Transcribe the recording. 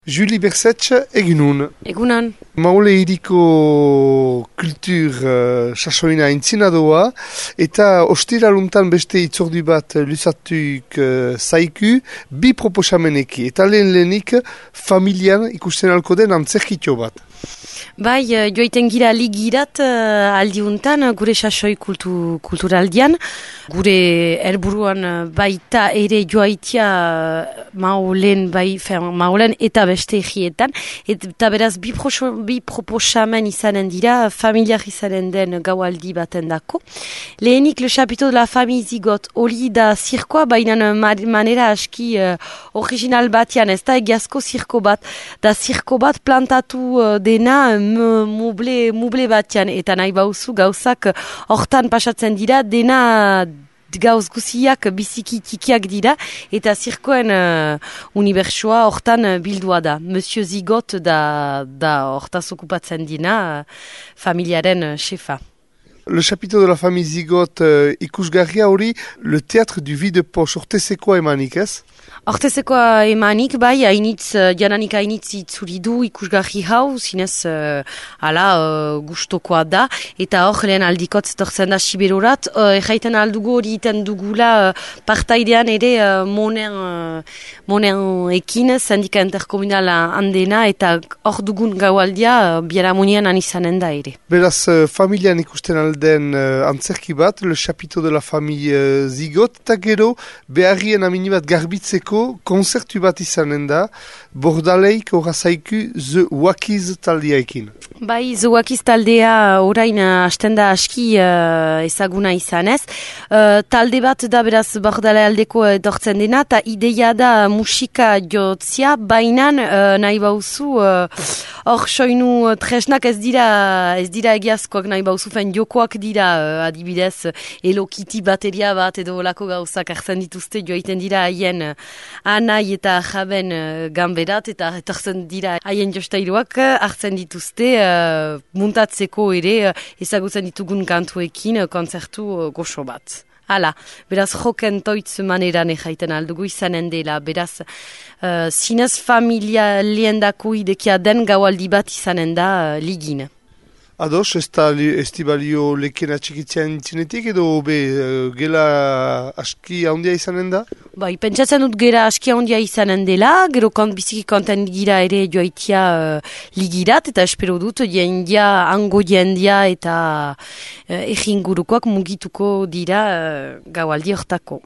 Julie Bersetxe, egunon. Egunon. Maule hiriko kultur sasoina intzinadoa eta ostiraluntan beste itzordu bat luzatuk zaiku bi proposameneki. Eta lehenik familian ikusten alko den antzerkitxo bat. Bai, joiten gira ligirat aldiuntan gure sasoi kulturaldian. Gure helburuan baita ere joaitia maulen eta beste egietan. Eta beraz bi proposamen izanen dira, familiar izanen den gaualdi baten dako. Lehenik le chapiteau de la famille zigot, hori da zirkoa, baina manera aski original batian, ez da egiazko zirko bat. Da zirko bat plantatu dena muble batian, eta nahi bauzu gauzak hortan pasatzen dira, dena gauz guziak biziki tikiak dira, eta zirkoen unibertsoa hortan bildua da. Monsieur Zigot da hortaz okupatzen dina familiaren chefa. Le chapiteau de la famille Zigot ikusgarria hori, le théâtre du Vide-Poche, ortezekoa emanik ez? Hortezekoa emanik, bai, jananik hainitz itzuridu ikusgarri hau, zinez gustokoa da, eta hor lehen aldikot torzen da Siberorat, erraiten aldugu hori iten dugula partaidean ere monen ekin, sindika interkomunal handena, eta hor dugun gaualdia biaramunian anizanen da ere. Beraz, familian ikusten alden antzerki bat, le chapiteau de la famille Zigot, eta gero beharrien amini bat garbitzeko konzertu bat izanen da, Bordaleik horazaiku The Wakiz taldeaekin. Bai, The Wakiz taldea orain hasten da aski ezaguna izanez. Talde bat da beraz Bordale aldeko edortzen dena, eta ideia da musika jotzia, bainan nahi bauzu hor soinu tresnak ez dira egiazkoak nahi bauzu, fen jokoak dira adibidez elokiti bateria bat edo olako gauzak hartzen dituzte joaiten dira haien anai eta jaben ganberat eta etortzen dira haien jostairuak hartzen dituzte muntatzeko ere ezagutzen ditugun kantuekin kontzertu goxo bat. Hala, beraz joken toitz maneran ejaiten aldugu izanen dela, beraz zinez familia liendako idekia den gaualdi bat izanen da ligin. Ados, ez di balio leken atxikitzean intzinetik edo gela aski handia izanen da? Bai, pentsatzen dut gera aski handia izanen dela, gero biziki konten gira ere joaitia ligirat, eta espero dut hango jendia eta egingurukoak mugituko dira gaualdi hortako.